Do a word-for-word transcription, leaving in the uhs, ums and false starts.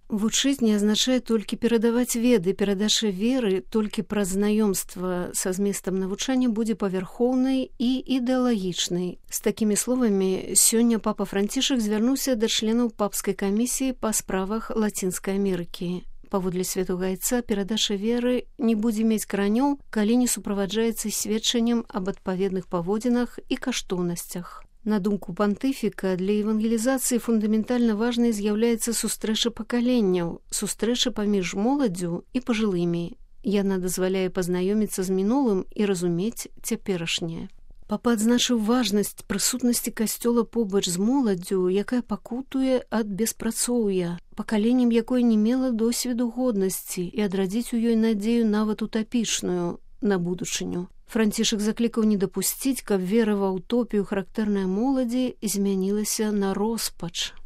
Вучыць не азначае толькі перадаваць веды. Перадача веры толькі праз знаёмства са зместам навучання будзе павярхоўнай і ідэалагічнай. З такімі словамі сёння папа Францішак звярнуўся да членаў папскай камісіі па справах Лацінскай Амерыкі. Паводле святога айца, перадача веры не будзе мець каранёў, калі не суправаджаецца сведчаннем аб адпаведных паводзінах і каштоўнасцях. На думку пантыфіка, для евангелізацыі фундаментальна важнай з'яўляецца сустрэча пакаленняў, сустрэча паміж моладдзю і пажылымі. Яна дазваляе пазнаёміцца з мінулым і разумець цяперашняе. Папа адзначыў важнасць прысутнасці касцёла побач з моладдзю, якая пакутуе ад беспрацоўя, пакаленнем якой не мела досведу годнасці і адрадзіць у ёй надзею нават утапічную на будучыню. Францішак заклікаў не дапусціць, каб вера ва ўтопію характэрнай моладзі змянілася на роспач.